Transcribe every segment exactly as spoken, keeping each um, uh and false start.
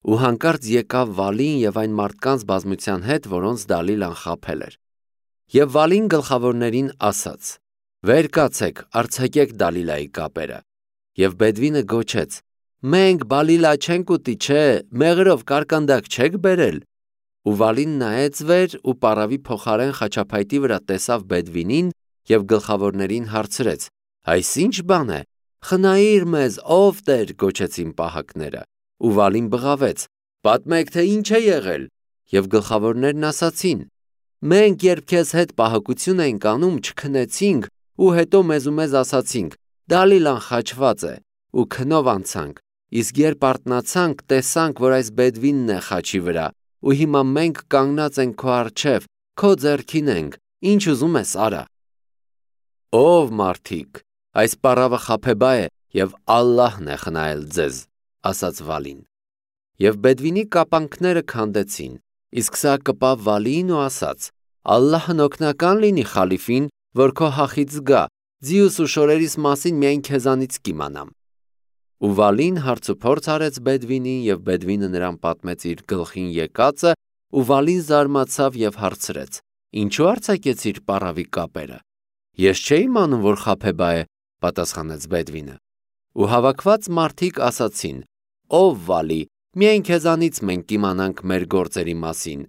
ու հանկարծ եկավ Վալին եւ այն մարդկանց բազմության հետ, որոնց Դալիլան խաբել էր։ Եվ Վալին գլխավորներին ասաց. «Վեր կացեք, արձակեք Դալիլայի կապերը»։ Եվ Բեդվինը գոչեց. «Մենք Բալիլա չենք ուտի, չէ, մեղրով կարկանդակ չեք բերել»։ Ու Վալին նայեց վեր ու պարավի փոխարեն խաչափայտի վրա տեսավ Բեդվինին եւ գլխավորներին հարցրեց. «Այս ի՞նչ բան է»։ «Խնայիր մեզ, ով Տեր», գոչեցին պահակները։ Ու Վալին բղավեց. «Պատմեք, թե ինչ է եղել»։ Եվ գլխավորներն ասացին. «Մենք երբ քեզ հետ պահակություն էինք անում, չքնեցինք ու հետո մեզ ու մեզ ասացինք. Դալիլան խաչված է, ու քնով անցանք, իսկ երբ արթնացանք, տեսանք, որ այս Բեդվինն է խաչի վրա, ու հիմա մենք կանգնած ենք քո առջև, քո ձեռքին ենք, ինչ ուզում ես արա»։ Ով մարդիկ, այս պառավը խաբեբա է եւ Ալլահն է խնայել ձեզ, ասաց Վալին։ Եվ Բեդվինի կապանքները քանդեցին, իսկ սա կպավ Վալիին ու ասաց. «Ալլահն օգնական լինի խալիֆին, որ քո հախից գա, ձիուս ու շորերիս մասին միայն քեզանից կիմանամ»։ Ու Վալին հարցուփորձ արեց Բեդվինին, եւ Բեդվինը նրան պատմեց իր գլխին եկածը, ու Վալին զարմացավ եւ հարցրեց. «Ինչու արձակեցիր պառավի կապերը»։ «Ես չէի իմանում, որ խաբեբա է», պատասխանեց Բեդվինը։ Ու հավաքված մարդիկ ասացին. «Ով Վալի, միայն քեզանից մենք կիմանանք մեր գործերի մասին։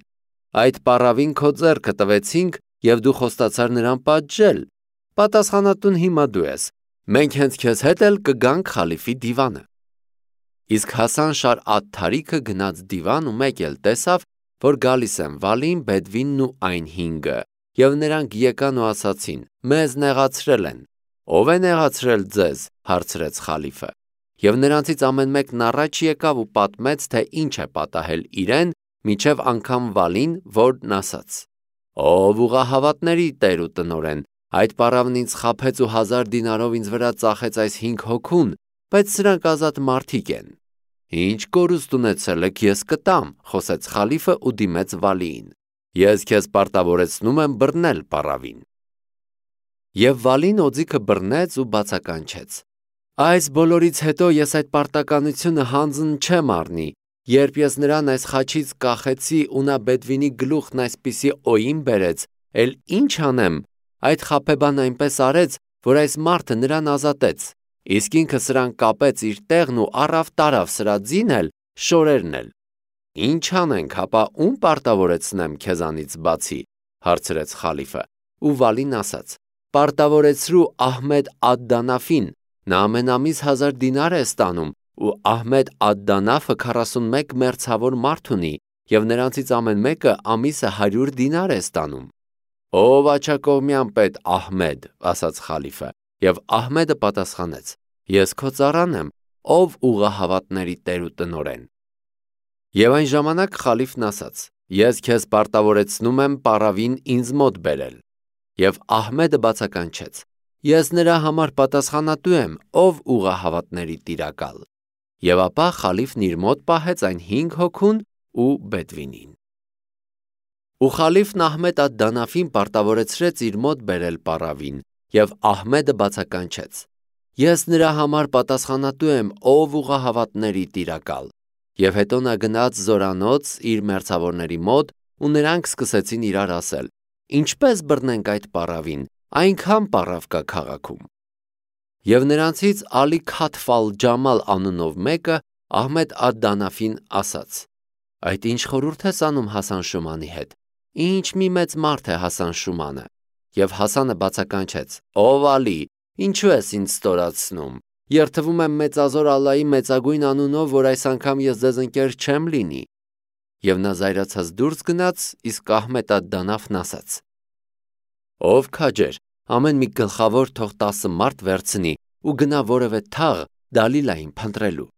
Այդ պառավին քո ձեռքը տվեցինք, եւ դու խոստացար նրան պատժել։ Պատասխանատուն հիմա դու ես։ Մենք հենց քեզ հետ էլ կգանք խալիֆի դիվանը»։ Իսկ Հասան Շար Աթթարիքը գնաց դիվան ու մեկ էլ տեսավ, որ գալիս են Վալին, Բեդվինն ու այն հինգը, եւ նրանք եկան ու ասացին. «Մեզ նեղացրել են»։ «Ով է նեղացրել ձեզ»։ հարցրեց խալիֆը։ Եվ նրանցից ամեն մեկն առաջ եկավ ու պատմեց, թե ինչ է պատահել իրեն, մինչև անգամ Վալին, որն ասաց. «Ով ուղղահավատների Տեր ու տնօրեն, այդ պառավն ինձ խաբեց ու հազար դինարով ինձ վրա ծախեց այս հինգ հոգուն, բայց սրանք ազատ մարդիկ են»։ «Ինչ կորուստ ունեցել եք, ես կտամ», խոսեց խալիֆը ու դիմեց Վալիին. «Ես քեզ պարտավորեցնում եմ բռնել պառավին»։ Եվ Վալին օձիքը բռնեց ու բացականչեց. «Այս բոլորից հետո ես այդ պարտականությունը հանձն չեմ առնի, երբ ես նրան այս խաչից կախեցի ու նա Բեդվինի գլուխն այսպիսի օին բերեց, էլ ի՞նչ անեմ, այդ խաբեբան այնպես արեց, որ այս մարդը նրան ազատեց, իսկ ինքը սրան կապեց իր տեղն ու առավ տարավ սրա ձին էլ, շորերն էլ։ Ինչ անենք, հապա ում պարտավորեցնեմ քեզանից բացի», հարցրեց խալիֆը։ Ու Վալին ասաց. «Պարտավորեցրու Ահմեդ Ադ-Դանաֆին, նա ամեն ամիս հազար դինար է ստանում, ու Ահմեդ Ադ-Դանաֆը քառասունմեկ մերձավոր մարդ ունի, եւ նրանցից ամեն մեկը ամիսը հարյուր դինար է ստանում»։ «Ով աջակողմյան պետ Ահմեդ», ասաց խալիֆը, եւ Ահմեդը պատասխանեց. «Ես քո ծառան եմ, ով ուղղահավատների Տեր ու տնօրեն»։ Եվ այն ժամանակ խալիֆն ասաց. «Ես քեզ պարտավորեցնում եմ պառավին ինձ մոտ բերել»։ Եվ Ահմեդը բացականչեց. «Ես նրա համար պատասխանատու եմ, ով ուղղահավատների տիրակալ»։ Եվ ապա խալիֆն իր մոտ պահեց այն հինգ հոգուն ու Բեդվինին։ Ու խալիֆն Ահմեդ Ադ-Դանաֆին պարտավորեցրեց իր մոտ բերել պառավին, եւ Ահմեդը բացականչեց. «Ես նրա համար պատասխանատու եմ, ով ուղղահավատների տիրակալ»։ Եվ հետո նա գնաց զորանոց իր մերձավորների մոտ, ու նրանք սկսեցին իրար ասել. «Ինչպե՞ս բռնենք այդ պառավին, այնքան պառավ կա քաղաքում»։ Եվ նրանցից Ալի Քաթֆ ալ-Ջամալ անունով մեկը Ահմեդ Ադ-Դանաֆին ասաց. «Այդ ինչ խորհուրդ ես անում Հասան Շումանի հետ, ինչ մի մեծ մարդ է Հասան Շումանը»։ Եվ Հասանը բացականչեց. «Ով Ալի, ինչու ես ինձ ստորացնում, երդվում եմ մեծազոր Ալլայի մեծագույն անունով, որ այս անգամ ես ձեզ ընկեր չեմ լինի»։ Եվ նա զայրացած դուրս գնաց, իսկ Ահմեդ Ադ-Դանաֆն ասաց. «Ով քաջեր, ամեն մի գլխավոր թող տասը մարդ վերցնի ու գնա որևէ թաղ Դալիլային փնտրելու»։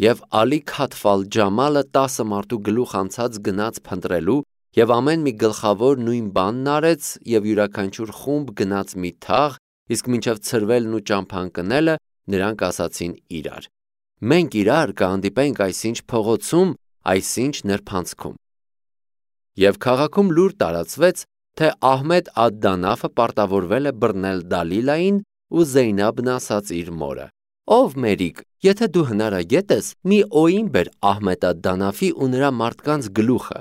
Եվ Ալի Քաթֆ ալ-Ջամալը տասը մարդու գլուխ անցած գնաց փնտրելու, եւ ամեն մի գլխավոր նույն բանն արեց, եւ յուրաքանչյուր խումբ գնաց մի թաղ, իսկ մինչև ցրվելն ու ճամփան կնելը նրանք ասացին իրար. «Մենք իրար կհանդիպենք այսինչ փողոցում, այսինչ նրբանցքում»։ Եվ քաղաքում լուր տարածվեց, թե Ահմեդ Ադ-Դանաֆը պարտավորվել է բռնել Դալիլային, ու Զեյնաբն ասաց իր մորը. Ով մերիկ, եթե դու հնարագետ ես, մի օին բեր Ահմեդ ալ-Դանաֆի ու նրա մարդկանց գլուխը։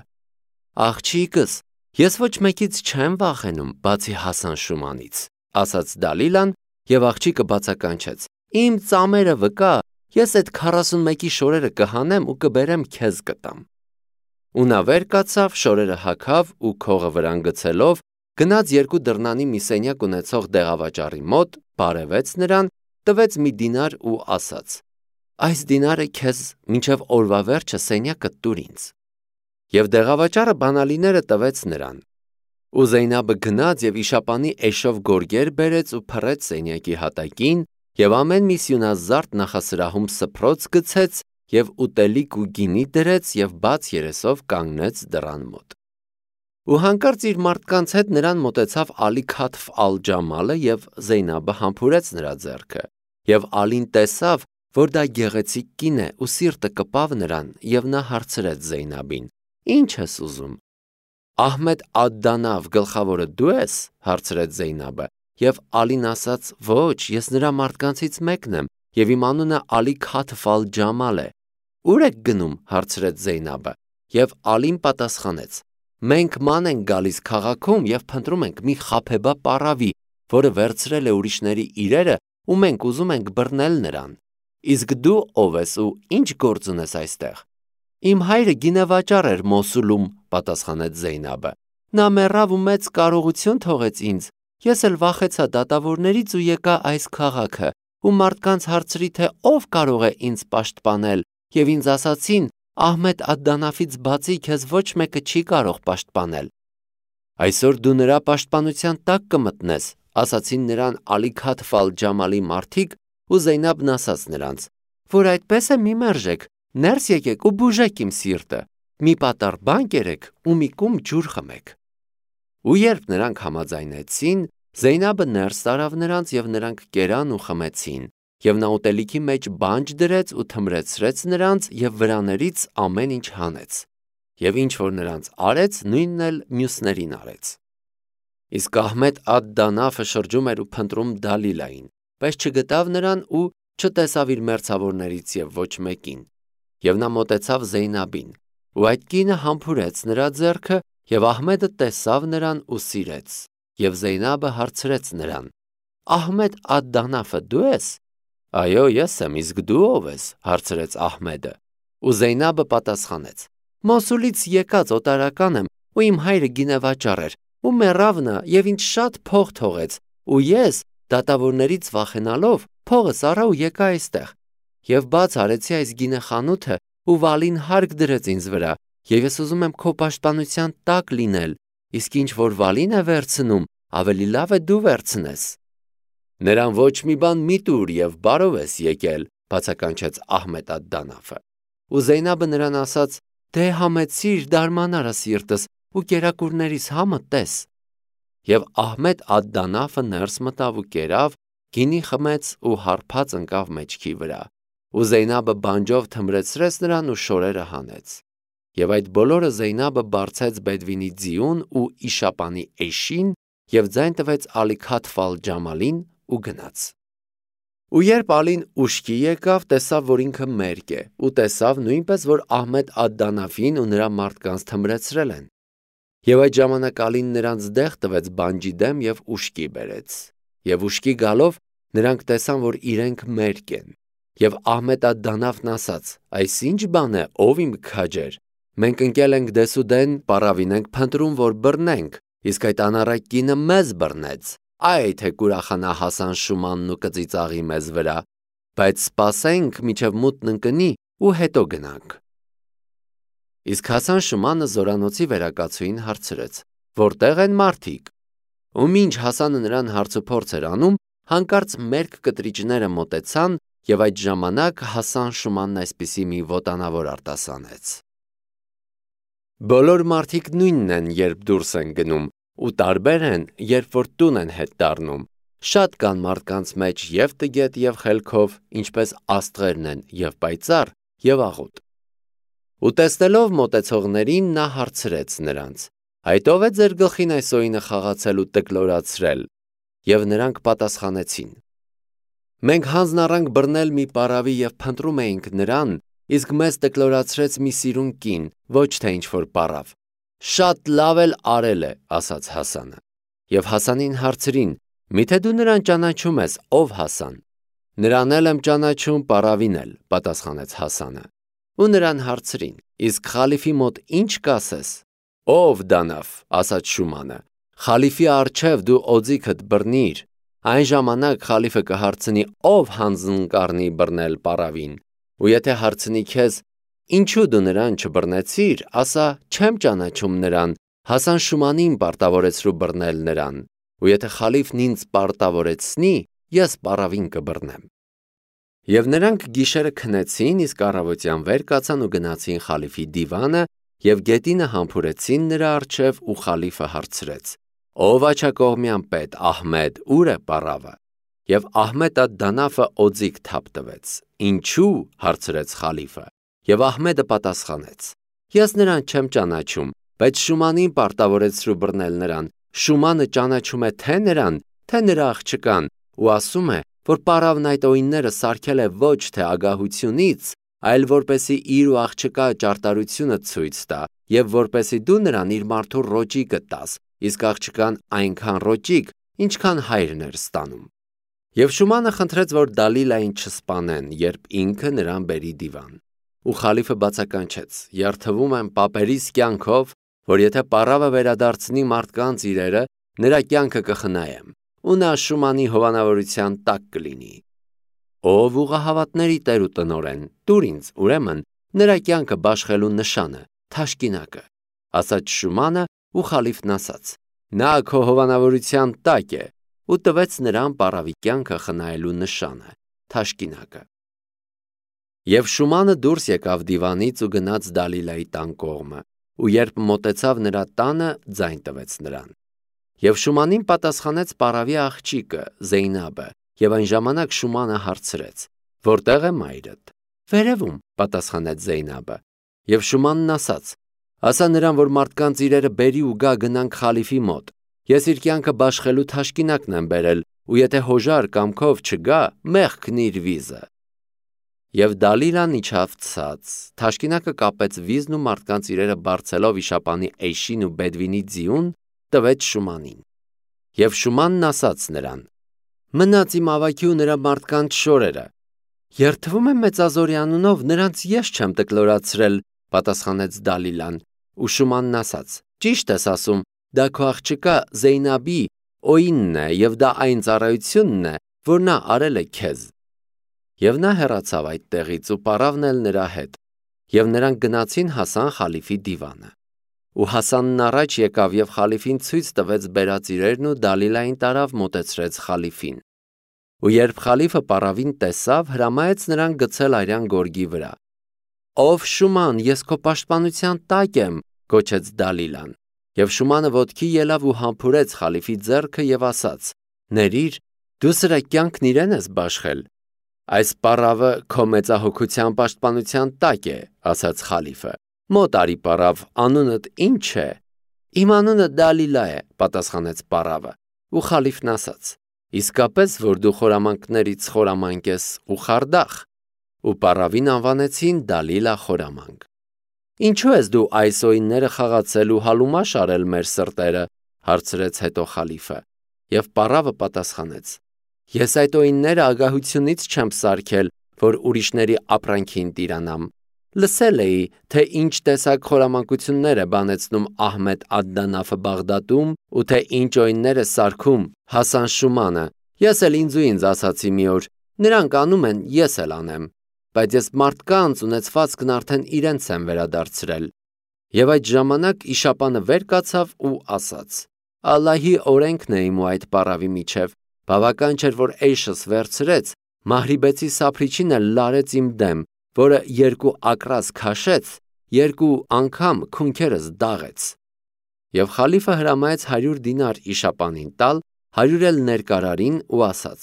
Աղջիկս, ես ոչ մեկից չեմ վախենում, բացի Հասան Շումանից, ասաց Դալիլան եւ աղջիկը բացականչեց. Իմ ծամերը վկա, ես այդ քառասունմեկի շորերը կհանեմ ու կբերեմ քեզ կտամ։ Ու նա վեր կացավ, շորերը հագավ ու քողը վրան գցելով գնաց երկու դռնանի մի սենյակ ունեցող դեղավաճառի մոտ, բարևեց նրան, տվեց մի դինար ու ասաց. Այս դինարը քեզ մինչև օրվա վերջը սենյակը տուր ինձ։ Եվ դեղավաճառը բանալիները տվեց նրան։ Ու Զեյնաբը գնաց եւ իշապանի էշով գորգեր բերեց ու փռեց սենյակի հատակին եւ ամեն մի սյունազարդ նախասրահում սփռոց գցեց եւ ուտելիք ու գինի դրեց եւ բաց երեսով կանգնեց դռան մոտ։ Ու հանկարծ իր մարդկանց հետ նրան մոտեցավ Ալի Քաթֆ ալ-Ջամալը եւ Զեյնաբը համբուրեց նրա ձեռքը եւ Ալին տեսավ, որ դա գեղեցիկ կին է ու սիրտը կպավ նրան եւ նա հարցրեց Զեյնաբին. Ինչ ես ուզում։ Ահմեդ ալ-Դանավ գլխավորը դու ես, հարցրեց Զեյնաբը, եւ Ալին ասաց. Ոչ, ես նրա մարդկանցից մեկն եմ եւ իմ անունը Ալի Քաթֆ ալ-Ջամալ է։ Ուր եք գնում, հարցրեց Զեյնաբը, եւ Ալին պատասխանեց. Մենք ման ենք գալիս քաղաքում եւ փնտրում ենք մի խաբեբա պարավի, որը վերցրել է ուրիշների իրերը ու մենք ուզում ենք բռնել նրան։ Իսկ դու ով ես ու ինչ գործ ունես այստեղ։ Իմ հայրը գինեվաճառ էր Մոսուլում, պատասխանեց Զեյնաբը։ Նա մեռավ ու մեծ կարողություն թողեց ինձ։ Ես էլ վախեցա դատավորներից ու եկա այս քաղաքը ու մարդկանց հարցրի, թե ով կարող է ինձ պաշտպանել, եւ ինձ ասացին. Ահմեդ ալ-Դանաֆից բացի քեզ ոչ մեկը չի կարող պաշտպանել։ Այսօր դու նրա պաշտպանության տակ կմտնես, ասացին նրան Ալի Քաթֆ ալ-Ջամալի մարդիկ ու Զեյնաբն ասաց նրանց, որ այդպես է մի մերժեք, ներս եկեք ու բուժեք իմ սիրտը, մի պատառ բան կերեք ու մի կում ջուր խմեք։ Ու երբ նրանք համաձայնեցին, Զեյնաբը ներս տարավ նրանց եւ նրանք կերան ու խմեցին, եւ նա ուտելիքի մեջ բանջ դրեց ու թմրեցրեց նրանց եւ վրաներից ամեն ինչ հանեց։ Եվ ինչ որ նրանց արեց, նույնն էլ մյուսներին արեց։ Իսկ Ահմեդ ալ-Դանաֆը շրջում էր ու փնտրում Դալիլային, բայց չգտավ նրան ու չտեսավ իր մերձավորներից եւ ոչ մեկին։ Եվ նա մոտեցավ Զեյնաբին, ու այդ կինը համբուրեց նրա ձեռքը, եւ Ահմեդը տեսավ նրան ու սիրեց։ Եվ Զեյնաբը հարցրեց նրան. Ահմեդ ալ-Դանաֆը դու ես։ Այո, ես եմ, իսկ դու ով ես, հարցրեց Ահմեդը։ Ու Զեյնաբը պատասխանեց. Մոսուլից եկած օտարական եմ, ու իմ հայրը գինեվաճառ էր, ու մեռավ նա եւ ինձ շատ փող թողեց, ու ես, դատավորներից վախենալով, փողս առա ու եկա այստեղ։ Եվ բաց արեցի այս գինեխանութը, ու Վալին հարկ դրեց ինձ վրա, եւ ես ուզում եմ քո պաշտպանության տակ լինել, իսկ ինչ որ Վալին է վերցնում, ավելի լավ է դու վերցնես։ Նրան ոչ մի բան մի տուր եւ բարով ես եկել, բացականչեց Ահմեդ ալ-Դանաֆը։ Ու Զեյնաբը նրան ասաց. Դե համեցիր, դարմանարա սիրտս ու կերակուրներիս համը տես։ Եվ Ահմեդ ալ-Դանաֆը ներս մտավ ու կերավ, գինի խմեց ու հարբած ընկավ մեջքի վրա։ Ու Զեյնաբը բանջով թմրեցրեց նրան ու շորերը հանեց։ Եվ այդ բոլորը Զեյնաբը բարձեց Բեդվինի ձիուն ու իշապանի էշին եւ ձայն տվեց Ալի Քաթֆ ալ-Ջամալին ու գնաց։ Ու երբ Ալին ուշքի եկավ, տեսավ, որ ինքը մերկ է, ու տեսավ նույնպես, որ Ահմեդ ալ-Դանաֆին ու նրա մարդկանց թմրեցրել են։ Եվ այդ ժամանակ Ալին նրանց դեղ տվեց բանջի դեմ եւ ուշքի բերեց։ Եվ ուշքի գալով նրանք տեսան, որ իրենք մերկ են։ Եվ Ահմեդ ալ-Դանաֆն ասաց. Այս ինչ բան է, ով իմ քաջեր։ Մենք ընկել ենք դեսուդեն, պարավին ենք փնտրում, որ բռնենք, իսկ այդ անառակ կինը մեզ բռնեց։ Այ թե կուրախանա Հասան Շումանն ու կծիծաղի մեզ վրա, բայց սպասենք մինչև մութն ընկնի ու հետո գնանք։ Իսկ Հասան Շումանը զորանոցի վերակացուին հարցրեց. Որտեղ են մարդիկ։ Ու մինչ Հասանը նրան հարցուփորձ էր անում, հանկարծ մերկ կտրիճները մոտեցան, եւ այդ ժամանակ Հասան Շումանն այսպիսի մի ոտանավոր արտասանեց. Բոլոր մարդիկ նույնն են, երբ դուրս են գնում, ու տարբեր են, երբ որ տուն են հետ դառնում։ Շատ կան մարդկանց մեջ եւ տգետ եւ խելքով, ինչպես աստղերն են, եւ պայծառ, եւ աղոտ։ Ու տեսնելով մոտեցողներին նա հարցրեց նրանց. Այդ ով է ձեր գլխին այս օինը խաղացել ու տկլորացրել։ Եվ նրանք պատասխանեցին. Մենք հանձն առանք բռնել մի պարավի և փնտրում էինք նրան, իսկ մեզ տկլորացրեց մի սիրուն կին, ոչ թե ինչ-որ պարավ։ Շատ լավ էլ արել է, ասաց Հասանը։ Եվ Հասանին հարցրին. Միթե դու նրան ճանաչում ես, ով Հասան։ Նրան էլ եմ ճանաչում, պարավին էլ, պատասխանեց Հասանը։ Ու նրան հարցրին. իսկ խալիֆի մոտ ինչ կասես։ Ով դանավ, ասաց Շումանը, խալիֆի առջև դու օձիքդ բռնիր, այն ժամանակ խալիֆը կհարցնի, ով հանձն կառնի բռնել պարավին, ու եթե հարցնի քեզ, ինչու դու նրան չբռնեցիր, ասա, չեմ ճանաչում նրան, Հասան Շումանին պարտավորեցրու բռնել նրան, ու եթե խալիֆն ինձ պարտավորեցնի, ես պարավին կբռնեմ։ Եվ նրանք գիշերը քնեցին, իսկ առավոտյան վեր կացան ու գնացին խալիֆի դիվանը և գետինը համբուրեցին նրա առջև ու խալիֆը հարցրեց. Ով աջակողմյան պետ Ահմեդ, ուր է պարավը։ Եվ Ահմեդ ատ Դանաֆը օձիք թափ տվեց։ Ինչու, հարցրեց խալիֆը։ Եվ Ահմեդը պատասխանեց. Ես նրան չեմ ճանաչում, բայց Շումանին պարտավորեցրու բռնել նրան։ Շումանը ճանաչում է թե նրան, թե նրա աղջկան, ու ասում է, որ պարավն այդ օրինները սարքել է ոչ թե ագահությունից, այլ որպեսի իր ու աղջկա ճարտարությունը ցույց տա, և որպեսի դու նրան իր մարդու ռոճիկը տաս, իսկ աղջկան այնքան ռոճիկ, ինչքան հայրն էր ստանում։ Եվ Շումանը խնդրեց, որ Դալիլային չսպանեն, երբ ինքը նրան բերի դիվան։ Ու խալիֆը բացականչեց. երթվում եմ պապերիս կյանքով, որ եթե պարավը վերադարձնի մարդկանց իրերը, նրա կյանքը կխնայեմ, ու նա Շումանի հովանավորության տակ կլինի։ Ով ուղղահավատների տեր ու տնօրեն, տուր ինձ, ուրեմն, նրա կյանքը բաշխելու նշանը, թաշկինակը, ասաց Շումանը, ու խալիֆն ասաց. նա քո հովանավորության տակ է, ու տվեց նրան պարավի կյանքը խնայելու նշանը, թաշկինակը։ Եվ Շումանը դուրս եկավ դիվանից ու գնաց Դալիլայի տան կողմը, ու երբ մոտեցավ նրա տանը, ձայն տվեց նրան։ Եվ Շումանին պատասխանեց պարավի աղջիկը, Զեյնաբը, և այն ժամանակ Շումանը հարցրեց. Որտեղ է մայրդ։ Վերևում, պատասխանեց Զեյնաբը։ Եվ Շումանն ասաց. ասա նրան, որ մարդկանց իրերը բերի ու գա գնանք խալիֆի մոտ։ Ես իր կյանքը բաշխելու թաշկինակն եմ բերել, ու եթե հոժար կամքով չգա, մեղքն իր վիզը։ Եվ Դալիլան իջավ ցած, թաշկինակը կապեց վիզն ու մարդկանց իրերը բարձելով իշապանի Էյշին ու Բեդվինի ձիուն, տվեց Շումանին։ Եվ Շումանն ասաց նրան. մնաց իմ ավագի ու նրա մարդկանց շորերը։ Երթվում եմ մեծազորի անունով, նրանց ես չեմ տկլորացրել, պատասխանեց Դալիլան, ու Շումանն ասաց. ճիշտ ես ասում, դա քո աղջկա Զեյնաբի օինն է, և դա այն ծառայությունն է, որ նա արել է քեզ։ Եվ նա հեռացավ այդ տեղից ու պարավն էլ նրա հետ, և նրանք գնացին հասան խալիֆի դիվանը։ Ու Հասանն առաջ եկավ և խալիֆին ցույց տվեց բերած իրերն ու Դալիլային տարավ մոտեցրեց խալիֆին։ Ու երբ խալիֆը պարավին տեսավ, հրամայեց նրան գցել արյան գորգի վրա։ Ով Շուման, ես քո պաշտպանության տակ եմ, գոչեց Դալիլան։ Եվ Շումանը ոտքի ելավ ու համբուրեց խալիֆի ձեռքը և ասաց. ներիր, դու սրա կյանքն իրեն ես բաշխել։ Այս պարավը քո մեծահոգության պաշտպանության տակ է, ասաց խալիֆը։ Մոտ արի պարավ, անունդ ի՞նչ է։ Իմ անունը Դալիլա է, պատասխանեց պարավը։ Ու խալիֆն ասաց. իսկապես, որ դու խորամանկներից խորամանկ ես ու խարդախ։ Ու պարավին անվանեցին Դալիլա խորամանկ։ Ինչու ես դու այս օինները խաղացել ու հալումաշ արել մեր սրտերը, հարցրեց հետո խալիֆը։ Եվ պարավը պատասխանեց. ես այդ օինները ագահությունից չեմ սարքել, որ ուրիշների ապրանքին տիրանամ։ Լսել էի, թե ինչ տեսակ խորամանկություններ է բանեցնում Ահմեդ ատ-Դանաֆը Բաղդադում ու թե ինչ օիններ է սարքում Հասան Շումանը։ Ես էլ ինձ ու ինձ ասացի մի օր, նրանք անում են, ես էլ անեմ, բայց ես մարդկանց ունեցվածքն արդեն իրենց եմ վերադարձրել։ Եվ այդ ժամանակ իշապանը վեր կացավ ու ասաց. Ալլահի օրենքն է իմ ու այդ պարավի միջև, բավական չէր, որ Էյշս վերցրեց, Մահրիբեցի սափրիչին էլ լարեց իմ դեմ, որը երկու ակրաս քաշեց, երկու անգամ քունքերս դաղեց։ Եվ խալիֆը հրամայեց հարյուր դինար իշապանին տալ, հարյուր էլ ներկարարին ու ասաց.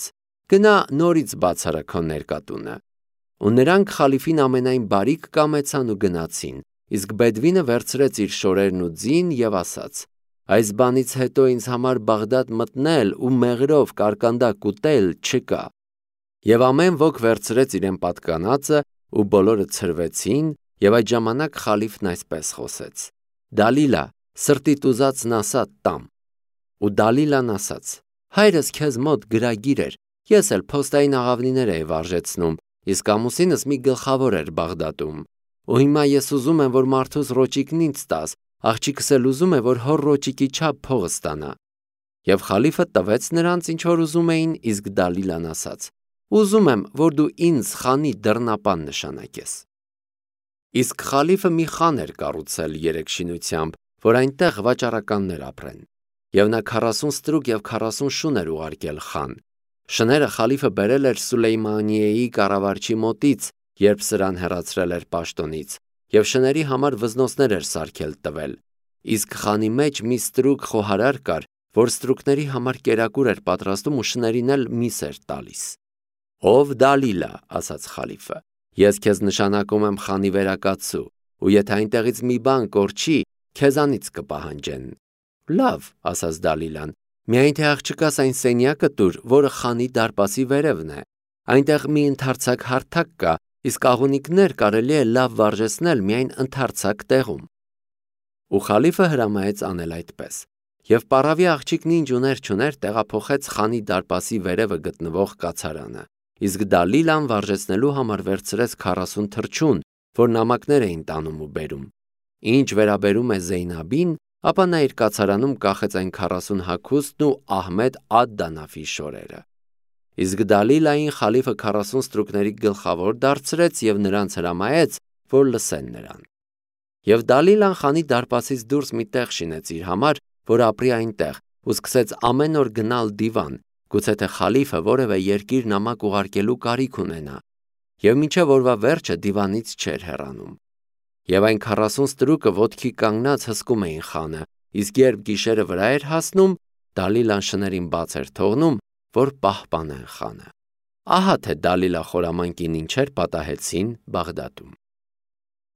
գնա նորից բացարա քո ներկատունը։ Ու նրանք խալիֆին ամենայն բարիք կամեցան ու գնացին, իսկ Բեդվինը վերցրեց իր շորերն ու ձին և ասաց. այս բանից հետո ինձ համար Բաղդադ մտնել ու մեղրով կարկանդակ ուտել չկա։ Եվ ամեն ոք վերցրեց իրեն պատկանածը ու բոլորը ցրվեցին, եւ այդ ժամանակ խալիֆն այսպես խոսեց. Դալիլա, սրտիդ ուզածն ասա տամ։ Ու Դալիլան ասաց. հայրս քեզ մոտ գրագիր էր, ես էլ փոստային աղավնիներ էի վարժեցնում, իսկ ամուսինս մի գլխավոր էր Բաղդադում։ Ու հիմա ես ուզում եմ, որ մարդուս ռոճիկն ինձ տաս, աղջիկս էլ ուզում է, որ հոր ռոճիկի չափ փող ստանա։ Եվ խալիֆը տվեց նրանց, ինչ որ ուզում էին, իսկ Դալիլան ասաց. ուզում եմ, որ դու ինձ խանի դռնապան նշանակես։ Իսկ խալիֆը մի խան էր կառուցել երեք շինությամբ, որ այնտեղ վաճառականներ ապրեն։ Եվ նա քառասուն ստրուկ եւ քառասուն շուն էր ուղարկել խան։ Շները խալիֆը բերել էր Սուլեյմանիեի կառավարչի մոտից, երբ սրան հեռացրել էր պաշտոնից, եւ շների համար վզնոցներ էր սարքել տվել։ Իսկ խանի մեջ մի ստրուկ խոհարար կար, որ ստրուկների համար կերակուր էր պատրաստում ու շներին էլ միս էր տալիս։ Ով Դալիլա, ասաց խալիֆը, ես քեզ նշանակում եմ խանի վերակացու, ու եթե այնտեղից մի բան կորչի, քեզանից կպահանջեն։ Լավ, ասաց Դալիլան, միայն թե աղջկաս այն սենյակը տուր, որը խանի դարպասի վերևն է։ Այնտեղ մի ընդարձակ հարթակ կա, իսկ աղունիկներ կարելի է լավ վարժեցնել միայն ընդարձակ տեղում։ Ու խալիֆը հրամայեց անել այդպես։ Եվ պարավի աղջիկն ինչ ուներ չուներ տեղափոխեց խանի դարպասի վերևը գտնվող կացարանը, իսկ Դալիլան վարժեցնելու համար վերցրեց քառասուն թռչուն, որ նամակներ էին տանում ու բերում։ Ինչ վերաբերում է Զեյնաբին, ապա նա իր կացարանում կախեց այն քառասուն հագուստն ու Ահմեդ ադ-Դանաֆի շորերը։ Իսկ Դալիլային խալիֆը քառասուն ստրուկների գլխավոր դարձրեց եւ նրանց հրամայեց, որ լսեն նրան։ Եվ Դալիլան խանի դարպասից դուրս մի տեղ շինեց իր համար, որ ապրի այնտեղ, ու սկսեց ամեն օր գնալ դիվան, գուցե թե խալիֆը որևէ երկիր նամակ ուղարկելու կարիք ունենա, եւ մինչև օրվա վերջը դիվանից չէր հեռանում։ Եվ այն քառասուն ստրուկը ոտքի կանգնած հսկում էին խանը, իսկ երբ գիշերը վրա էր հասնում, Դալիլան շներին բաց էր թողնում, որ պահպանեն խանը։ Ահա թե Դալիլա խորամանկին ինչեր պատահեցին Բաղդադում։